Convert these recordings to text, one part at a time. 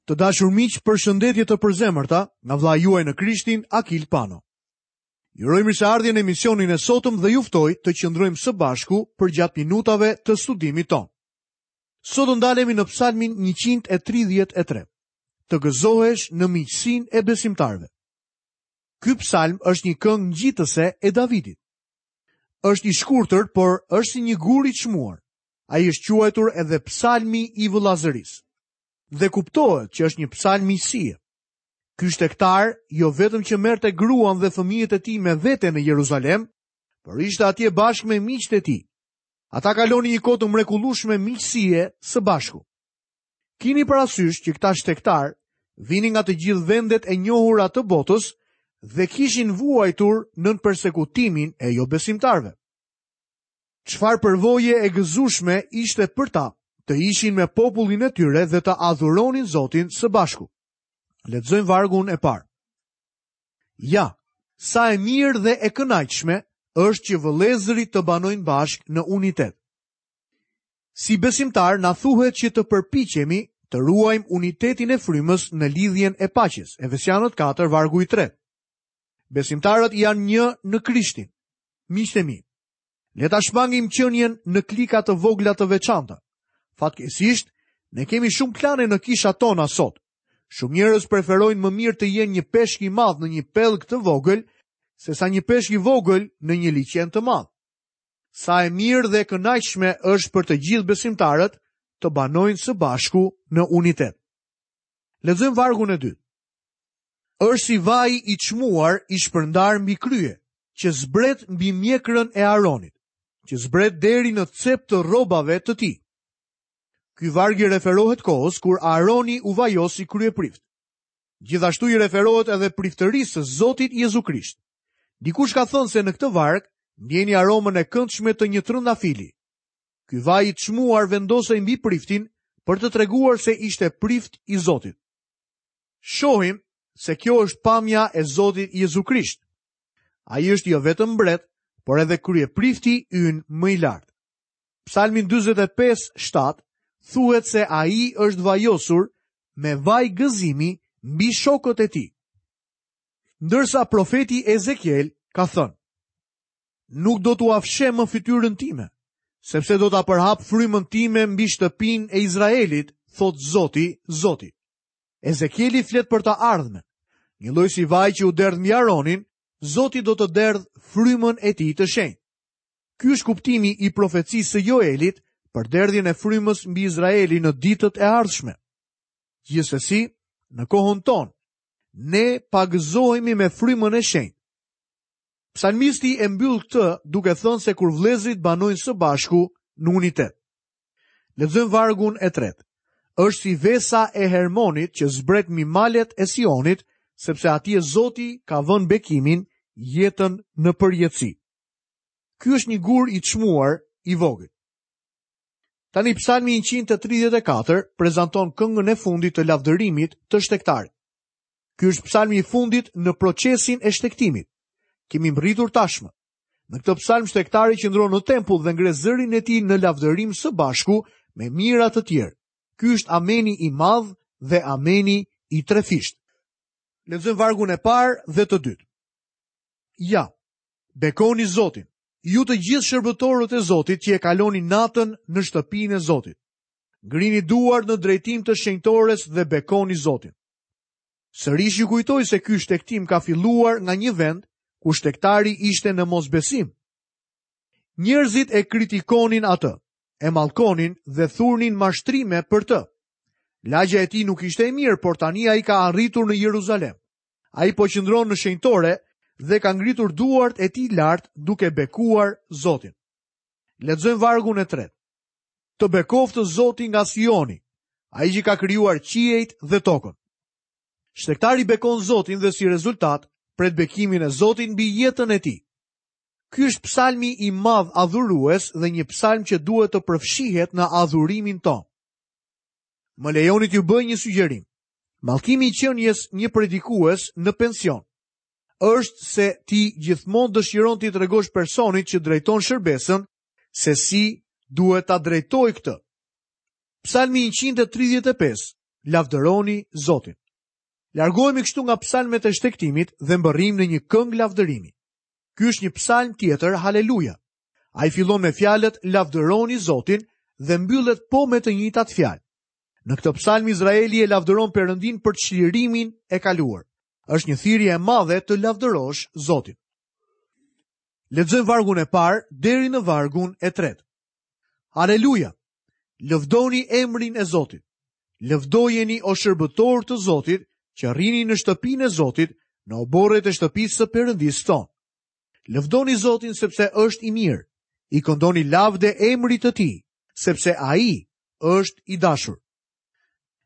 Të dashur miq, përshëndetje të përzemërta nga vëllai juaj në Krishtin, Akil Pano. Ju uroj mirëseardhje në emisionin e sotëm dhe ju ftoj të qëndrojmë së bashku përgjatë minutave të studimit tonë. Sot do ndalemi në Psalmin 133. Të gëzohesh në miqësinë e besimtarëve. Ky psalm është një këngë ngjitëse e Davidit. Është i shkurtër, por është si një gur i çmuar. Ai është quajtur edhe psalmi i vëllazërisë. Dhe kuptohet që është një psalm miqësie. Ky shtegtar jo vetëm që merrte gruan dhe fëmijët e tij me vete në Jeruzalem, por ishte atje bashkë me miqtë e tij. Ata kalonin një kohë të mrekullueshme miqësie së bashku. Kini parasysh që këta shtegtarë vinin nga të gjithë vendet e njohura të botës dhe kishin vuajtur nën persekutimin e jobesimtarëve. Çfarë përvoje e gëzueshme ishte për ta të ishin me popullin e tyre dhe të adhuronin Zotin së bashku. Lexojmë vargun e parë. Ja, sa e mirë dhe e kënaqshme është që vëllezërit të banojnë bashkë në unitet. Si besimtarë na thuhet që të përpiqemi të ruajmë unitetin e frymës në lidhjen e paqes. Efesianët 4 vargu i 3. Besimtarët janë një në Krishtin. Miqtë e mi, le ta shmangim qenien në klika të vogla të veçanta. Fatkeqësisht, ne kemi shumë klane në kishat tona sot. Shumë njerëz preferojnë më mirë të jenë një peshk i madh në një pellg të vogël, sesa një peshk i vogël në një liqen të madh. Sa e mirë dhe e kënaqshme është për të gjithë besimtarët të banojnë së bashku në unitet. Lexojmë vargun e dytë. Është si vaji i çmuar i shpërndarë mbi krye, që zbret mbi mjekrën e Aronit, që zbret deri në cep të rrobave të tij. Ky varg i referohet kohës kur Aroni u vajos si kryeprift. Gjithashtu i referohet edhe priftërisë së Zotit Jezu Krisht. Dikush ka thënë se në këtë varg ndjeni aromën e këndshme të një trëndafili. Ky vaj i çmuar vendosej mbi priftin për të treguar se ishte prift i Zotit. Shohim se kjo është pamja e Zotit Jezu Krisht. Ai është jo vetëm mbret, por edhe kryeprifti ynë më i lartë. Psalmin 45:7 thuhet se ai është vajosur me vaj gëzimi mbi shokët e tij. Ndërsa profeti Ezekiel ka thënë: Nuk do t'ua fsheh më fytyrën time, sepse do ta përhap frymën time mbi shtëpinë e Izraelit, thotë Zoti, Zoti. Ezekieli flet për të ardhmen. Njëlloj si vaji që u derdh mbi Aronin, Zoti do të derdhë frymën e tij të shenjtë. Ky është kuptimi i profecisë së Joelit për derdhjen e frymës mbi Izraelin në ditët e ardhshme. Gjithsesi, në kohën tonë, ne pagëzohemi me frymën e shenjtë. Psalmisti e mbyll këtë duke thënë se kur vëllezërit banojnë së bashku në unitet. Lexojmë vargun e tretë. Është si vesa e Hermonit që zbret mbi malet e Sionit, sepse atje Zoti ka vënë bekimin, jetën në përjetësi. Ky është një gur i çmuar i vogël. Tani Psalmi 134 prezanton këngën e fundit të lavdërimit të shtegtarit. Ky është psalmi i fundit në procesin e shtegtimit. Kemi mbërritur tashmë. Në këtë psalm shtegtari qëndron në tempull dhe ngre zërin e tij në lavdërim së bashku me mijëra të tjerë. Ky është ameni i madh dhe ameni i trefishtë. Lexojmë vargun e parë dhe të dytë. Ja, bekoni Zotin, ju të gjithë shërbëtorët e Zotit që e kaloni natën në shtëpinë e Zotit. Ngrini duart në drejtim të shenjtores dhe bekoni Zotin. Sërish ju kujtoj se ky shtegtim ka filluar nga një vend ku shtegtari ishte në mosbesim. Njerëzit e kritikonin atë, e mallkonin dhe thurnin mashtrime për të. Lagja e tij nuk ishte e mirë, por tani ai ka arritur në Jeruzalem. Ai po qëndron në shenjtore dhe ka ngritur duart e tij lart duke bekuar Zotin. Lexojmë vargun e tretë. Të bekoftë Zoti nga Sioni, ai që ka krijuar qiejt dhe tokën. Shtegtari bekon Zotin dhe si rezultat pret bekimin e Zotit mbi jetën e tij. Ky është psalmi i madh adhurues dhe një psalm që duhet të përfshihet në adhurimin tonë. Më lejoni t'ju bëj një sugjerim. Mallkimi i qenies një predikues në pension është se ti gjithmonë dëshiron t'i tregosh personit që drejton shërbesën se si duhet ta drejtojë këtë. Psalmi 135. Lavdëroni Zotin. Largohemi kështu nga psalmet e shtegtimit dhe mbërrijmë në një këngë lavdërimi. Ky është një psalm tjetër, haleluja. Ai fillon me fjalët lavdëroni Zotin dhe mbyllet po me të njëjtat fjalë. Në këtë psalm Izraeli e lavdëron Perëndinë për çlirimin e kaluar. Është një thirrje e madhe të lavdërosh Zotin. Lexojmë vargun e parë deri në vargun e tretë. Haleluja! Lëvdoni emrin e Zotit. Lëvdojeni o shërbëtorë të Zotit, që rrini në shtëpinë e Zotit, në oborret e shtëpisë së Perëndisë tonë. Lëvdoni Zotin sepse është i mirë. I këndoni lavde emrit të tij, sepse ai është i dashur.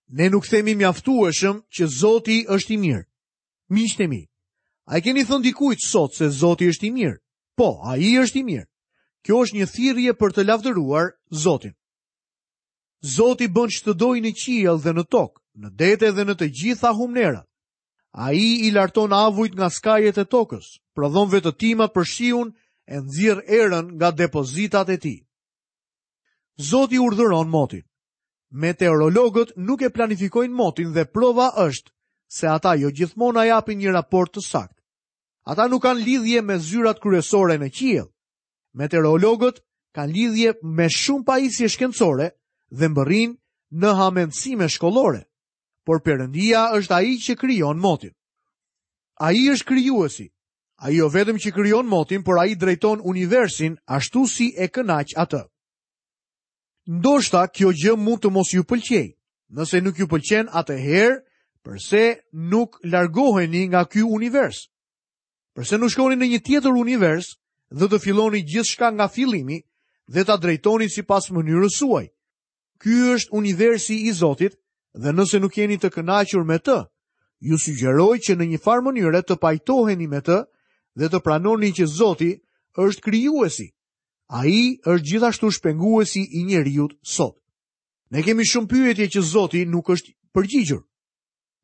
Ne nuk themi mjaftueshëm që Zoti është i mirë. Miqtë e mi, a i keni thënë dikujt sot se Zoti është i mirë? Po, ai është i mirë. Kjo është një thirrje për të lavdëruar Zotin. Zoti bën ç'të dojë në qiell dhe në tokë, në dete dhe në të gjitha humnerat. Ai i larton avujt nga skajet e tokës, prodhon vetëtimat për shiun e nxjerr erën nga depozitat e tij. Zoti urdhëron motin. Meteorologët nuk e planifikojnë motin dhe prova është se ata jo gjithmonë na japin një raport të saktë. Ata nuk kanë lidhje me zyrat kryesore në qiell. Meteorologët kanë lidhje me shumë pajisje shkencore dhe mbërrijnë në hamendësime shkollore. Por Perëndia është ai që krijon motin. Ai është krijuesi. Ai jo vetëm që krijon motin, por ai drejton universin ashtu si e kënaq atë. Ndoshta kjo gjë mund të mos ju pëlqejë. Nëse nuk ju pëlqen atëherë, përse nuk largoheni nga ky univers? Përse nuk shkoni në një tjetër univers dhe të filloni gjithçka nga fillimi dhe ta drejtoni sipas mënyrës suaj? Ky është universi i Zotit dhe nëse nuk jeni të kënaqur me të, ju sugjeroj që në një farë mënyre të pajtoheni me të dhe të pranoni që Zoti është krijuesi. Ai është gjithashtu shpenguesi i njeriut sot. Ne kemi shumë pyetje që Zoti nuk është përgjigjur.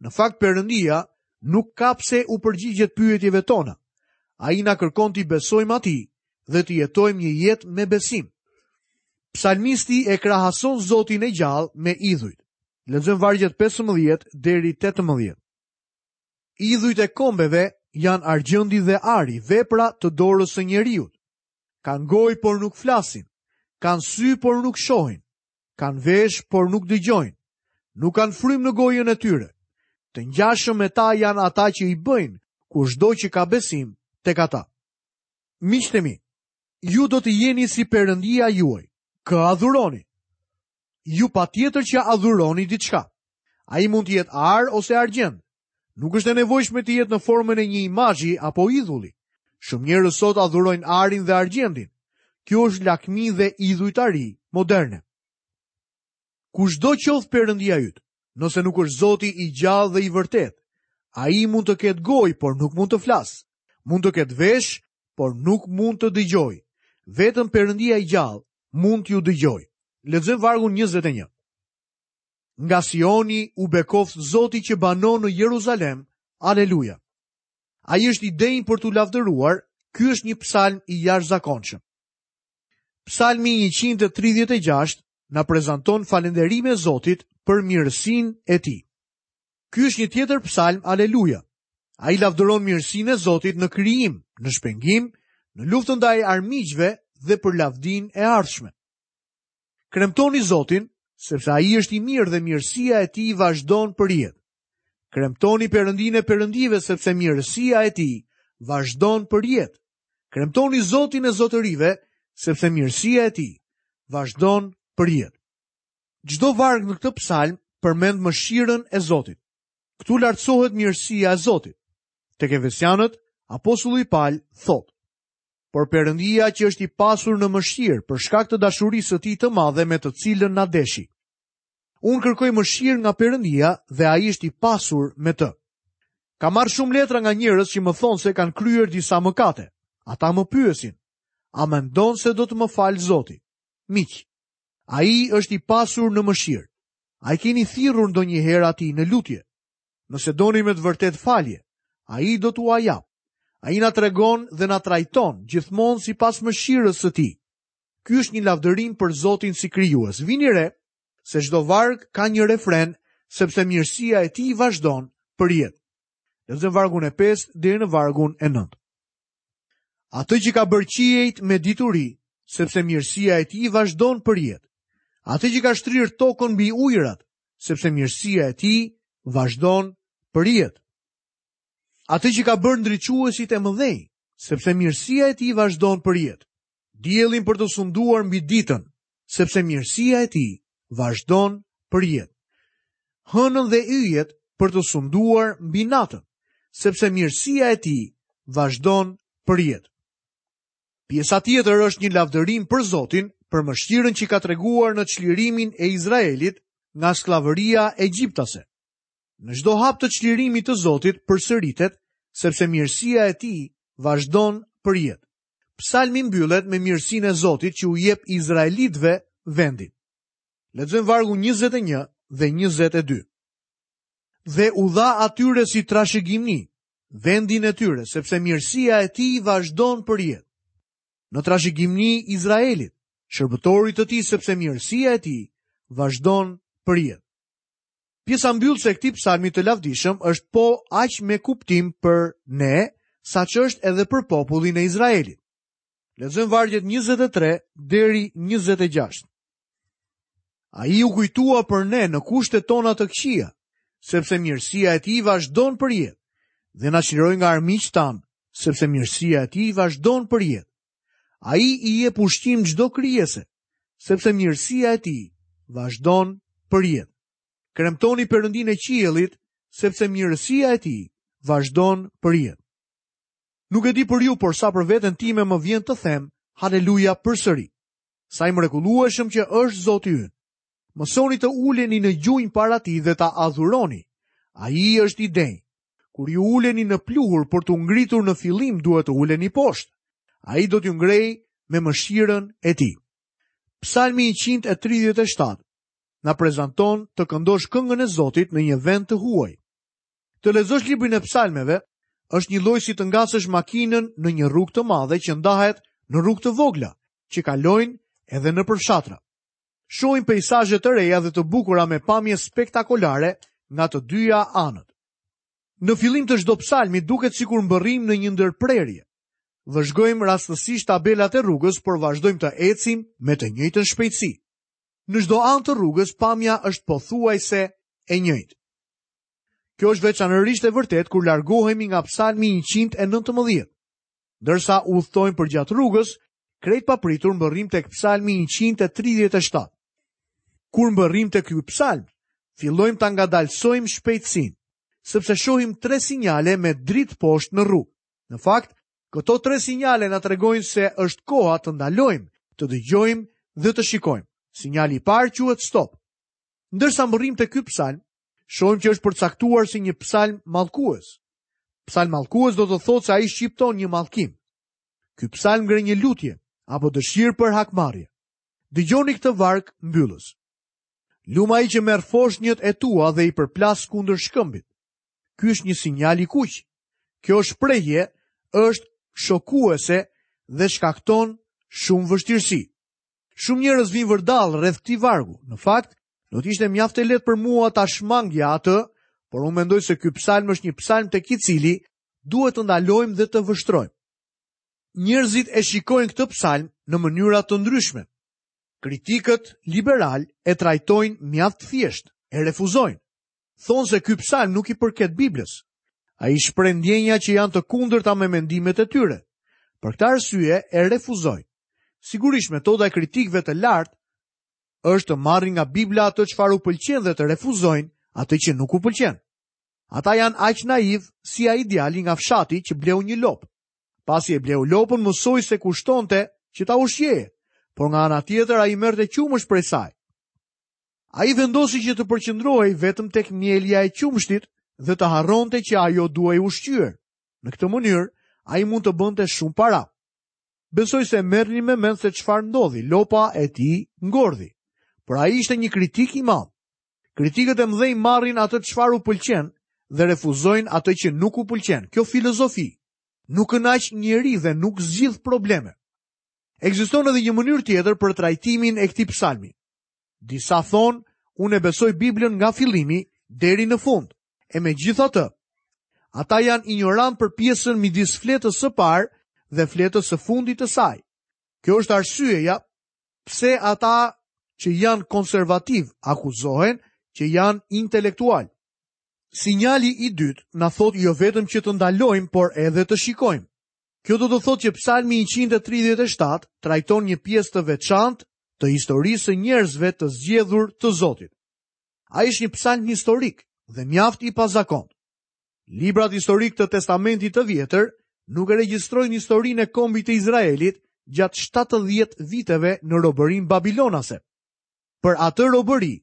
Në fakt Perëndia nuk ka pse u përgjigjet pyetjeve tona. Ai na kërkon t'i besojmë atij dhe të jetojmë një jetë me besim. Psalmisti e krahason Zotin e gjallë me idhujt. Lexojmë vargjet 15 deri 18. Idhujt e kombeve janë argjendi dhe ari, vepra të dorës së njeriut. Kanë gojë por nuk flasin, kanë sy por nuk shohin, kanë veshë por nuk dëgjojnë, nuk kanë frymë në gojën e tyre. Të ngjashëm me ta janë ata që i bëjnë, kushdo që ka besim tek ata. Miqtë e mi, ju do të jeni si Perëndia juaj. Kë adhuroni? Ju patjetër që adhuroni diçka. Ai mund të jetë ar ose argjend. Nuk është e nevojshme të jetë në formën e një imazhi apo idhulli. Shumë njerëz sot adhurojnë arin dhe argjendin. Kjo është lakmi dhe idhujtari moderne. Kushdo qoftë perëndia yt, nëse nuk është Zoti i gjallë dhe i vërtetë, ai mund të ketë gojë, por nuk mund të flasë. Mund të ketë veshë, por nuk mund të dëgjojë. Vetëm Perëndia i gjallë mund t'ju dëgjojë. Lexojmë vargun 21. Nga Sioni u bekoftë Zoti që banon në Jeruzalem. Aleluja. Ai është i denjë për t'u lavdëruar. Ky është një psalm i jashtëzakonshëm. Psalmi 136 na prezanton falënderime Zotit për mirësinë e tij. Ky është një tjetër psalm Aleluja. Ai lavdëron mirësinë e Zotit në krijim, në shpengim, në luftën ndaj armiqve dhe për lavdinë e ardhshme. Kremtoni Zotin, sepse ai është i mirë dhe mirësia e tij vazhdon përjetë. Kremtoni Perëndinë e perëndive, sepse mirësia e tij vazhdon përjetë. Kremtoni Zotin e zotërive, sepse mirësia e tij vazhdon përjetë. Çdo varg në këtë psalm përmend mëshirën e Zotit. Këtu lartësohet mirësia e Zotit. Tek Efesianët, apostulli Pal thotë: Por Perëndia që është i pasur në mëshirë për shkak të dashurisë së tij të madhe me të cilën na deshi. Unë kërkoj mëshirë nga Perëndia dhe ai është i pasur me të. Kam marrë shumë letra nga njerëz që më thonë se kanë kryer disa mëkate. Ata më pyesin, a mendon se do të më falë Zoti? Miq, ai është i pasur në mëshirë. A i keni thirrur ndonjëherë atij në lutje? Nëse doni me të vërtetë falje, ai do t'ua japë. Ai na tregon dhe na trajton gjithmonë sipas mëshirës së tij. Ky është një lavdërim për Zotin si krijues. Vini re se çdo varg ka një refren sepse mirësia e tij vazhdon përjetë. Lexojmë vargun e 5 deri në vargun e 9. Atë që ka bërë qiejt me dituri, sepse mirësia e tij vazhdon përjetë. Atë që ka shtrirë tokën mbi ujërat, sepse mirësia e tij vazhdon përjetë. Atë që ka bërë ndriçuesit e mëdhenj, sepse mirësia e tij vazhdon përjetë. Diellin për të sunduar mbi ditën, sepse mirësia e tij vazhdon përjetë. Hënën dhe yjet për të sunduar mbi natën, sepse mirësia e tij vazhdon përjetë. Pjesa tjetër është një lavdërim për Zotin, për mëshirën që ka treguar në çlirimin e Izraelit nga skllavëria egjiptase. Në çdo hap të çlirimit të Zotit përsëritet, sepse mirësia e tij vazhdon përjetë. Psalmi mbyllet me mirësinë e Zotit që u jep izraelitëve vendin. Lexojmë vargun 21 dhe 22. Dhe u dha atyre si trashëgimi vendin e tyre, sepse mirësia e tij vazhdon përjetë. Në trashëgimi Izraelit, shërbëtorit të tij, sepse mirësia e tij vazhdon përjetë. Pjesa mbyllëse e këtij psalmi të lavdishëm është po aq me kuptim për ne, sa ç'është edhe për popullin e Izraelit. Lexojmë vargjet 23 deri 26. Ai u kujtua për ne në kushtet tona të këqija, sepse mirësia e tij vazhdon përjetë, dhe na çliroi nga armiqtë tanë, sepse mirësia e tij vazhdon përjetë. Ai i jep ushqim çdo krijese, sepse mirësia e tij vazhdon përjetë. Kremtoni Perëndinë e qiellit, sepse mirësia e tij vazhdon përjetë. Nuk e di për ju, por sa për veten time më vjen të them haleluja përsëri. Sa i mrekullueshëm që është Zoti ynë. Mësoni të uleni në gjunjë para tij dhe ta adhuroni. Ai është i denjë. Kur ju uleni në pluhur për t'u ngritur në fillim duhet të uleni poshtë. Ai do t'ju ngrejë me mëshirën e tij. Psalmi 137 na prezanton të këndosh këngën e Zotit në një vend të huaj. Të lexosh librin e psalmeve është njëlloj si të ngasësh makinën në një rrugë të madhe që ndahet në rrugë të vogla, që kalojnë edhe nëpër fshatra. Shohim peisazhe të reja dhe të bukura me pamje spektakolare nga të dyja anët. Në fillim të çdo psalmi duket sikur mbërrijmë në një ndërprerje. Vëzhgojmë rastësisht tabelat e rrugës, por vazhdojmë të ecim me të njëjtën shpejtësi. Në çdo anë të rrugës pamja është pothuajse e njëjtë. Kjo është veçanërisht e vërtetë kur largohemi nga psalmi 119. Ndërsa udhëtojmë përgjatë rrugës, krejt papritur mbërrijmë tek psalmi 137. Kur mbërrijmë te ky psalm, fillojmë ta ngadalësojmë shpejtësinë, sepse shohim tre sinjale me dritë poshtë në rrugë. Në fakt, këto tre sinjale na tregojnë se është koha të ndalojmë, të dëgjojmë dhe të shikojmë. Sinjali i parë quhet stop. Ndërsa mbërrijmë te ky psalm, shohim që është përcaktuar si një psalm mallkues. Psalm mallkues do të thotë se ai shqipton një mallkim. Ky psalm ngre një lutje apo dëshirë për hakmarrje. Dëgjoni këtë varg mbyllës. Lum ai që merr foshnjët e tua dhe i përplas kundër shkëmbit. Ky është një sinjal i kuq. Kjo shprehje është shokuese dhe shkakton shumë vështirësi. Shumë njerëz vijnë vërdallë rreth këtij vargu. Në fakt, do të ishte mjaft e lehtë për mua ta shmangja atë, por unë mendoj se ky psalm është një psalm tek i cili duhet të ndalojmë dhe të vështrojmë. Njerëzit e shikojnë këtë psalm në mënyra të ndryshme. Kritikët liberalë e trajtojnë mjaft thjesht, e refuzojnë. Thonë se ky psalm nuk i përket Biblës. Ai shpreh ndjenja që janë të kundërta me mendimet e tyre. Për këtë arsye e refuzojnë. Sigurisht metoda e kritikëve të lartë është të marrin nga Bibla atë çfarë u pëlqen dhe të refuzojnë atë që nuk u pëlqen. Ata janë aq naivë si ai djali nga fshati që bleu një lopë. Pasi e bleu lopën, mësoi se kushtonte që ta ushqeje, por nga ana tjetër ai merrte qumësht prej saj. Ai vendosi që të përqendrohej vetëm tek mjelja e qumështit dhe të harronte që ajo duhej ushqyer. Në këtë mënyrë, ai mund të bënte shumë para. Besoj se merrni me mend se çfarë ndodhi, lopa e tij ngordhi. Por ai ishte një kritik i madh. Kritikët e mëdhenj marrin atë çfarë u pëlqen dhe refuzojnë atë që nuk u pëlqen. Kjo filozofi nuk kënaq njeri dhe nuk zgjidh probleme. Ekziston edhe një mënyrë tjetër për trajtimin e këtij psalmi. Disa thonë, unë e besoj Biblën nga fillimi. deri në fund. E megjithatë, ata janë injorantë për pjesën midis fletës së parë dhe fletës së fundit të saj. Kjo është arsyeja pse ata që janë konservativë akuzohen që janë intelektualë. Sinjali i dytë na thotë jo vetëm që të ndalojmë, por edhe të shikojmë. Kjo do të thotë që Psalmi 137 trajton një pjesë të veçantë të historisë së njerëzve të zgjedhur të Zotit. Ai është një psalm historik dhe mjaft i pazakontë. Librat historikë të Testamentit të Vjetër nuk e regjistrojnë historinë e kombit të Izraelit gjatë 70 viteve në robërinë babilonase. Për atë robëri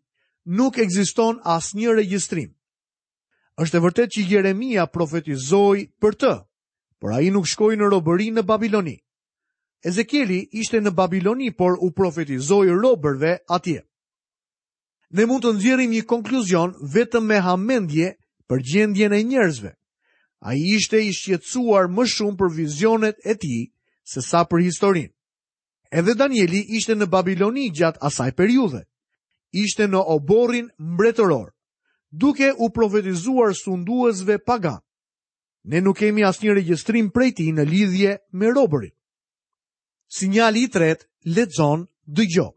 nuk ekziston asnjë regjistrim. Është e vërtetë që Jeremia profetizoi për të, por ai nuk shkoi në robëri në Babiloni. Ezekieli ishte në Babiloni, por u profetizoi robërve atje. Ne mund të nxjerrim një konkluzion vetëm me hamendje për gjendjen e njerëzve. Ai ishte i shqetësuar më shumë për vizionet e tij sesa për historinë. Edhe Danieli ishte në Babiloni gjatë asaj periudhe. Ishte në oborrin mbretëror, duke u profetizuar sunduesve paganë. Ne nuk kemi asnjë regjistrim prej tij në lidhje me robërit. Sinjali i tretë, lexon, dëgjo.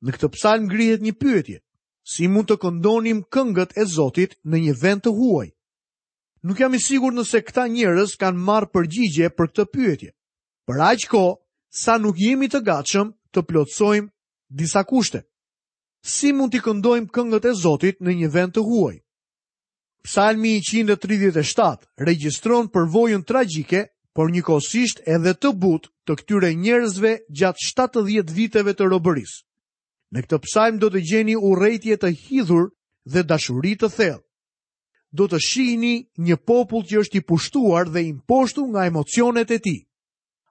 Në këtë psalm ngrihet një pyetje. Si mund të këndonim këngët e Zotit në një vend të huaj? Nuk jam i sigurt nëse këta njerëz kanë marrë përgjigje për këtë pyetje. Për aq kohë sa nuk jemi të gatshëm të plotësojmë disa kushte. Si mund t'i këndojmë këngët e Zotit në një vend të huaj? Psalmi 137 regjistron përvojën tragjike, por njëkohësisht edhe të butë të këtyre njerëzve gjatë 70 viteve të robërisë. Në këtë psalm do të gjeni urrejtje të hidhur dhe dashuri të thellë. Do të shihni një popull që është i pushtuar dhe i mposhtur nga emocionet e tij.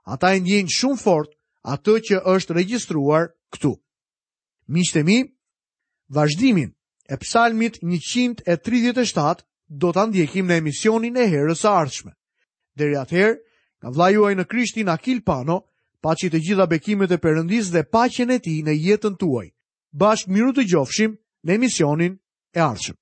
Ata e ndjejnë shumë fort atë që është regjistruar këtu. Miqtë e mi, vazhdimin e psalmit 137 do ta ndjekim në emisionin e herës së ardhshme. Deri atëherë, nga vëllai juaj në Krishtin Akil Pano, paçi të gjitha bekimet e Perëndisë dhe paqen e tij në jetën tuaj. Bashkë mirudëgjofshim në emisionin e ardhshëm.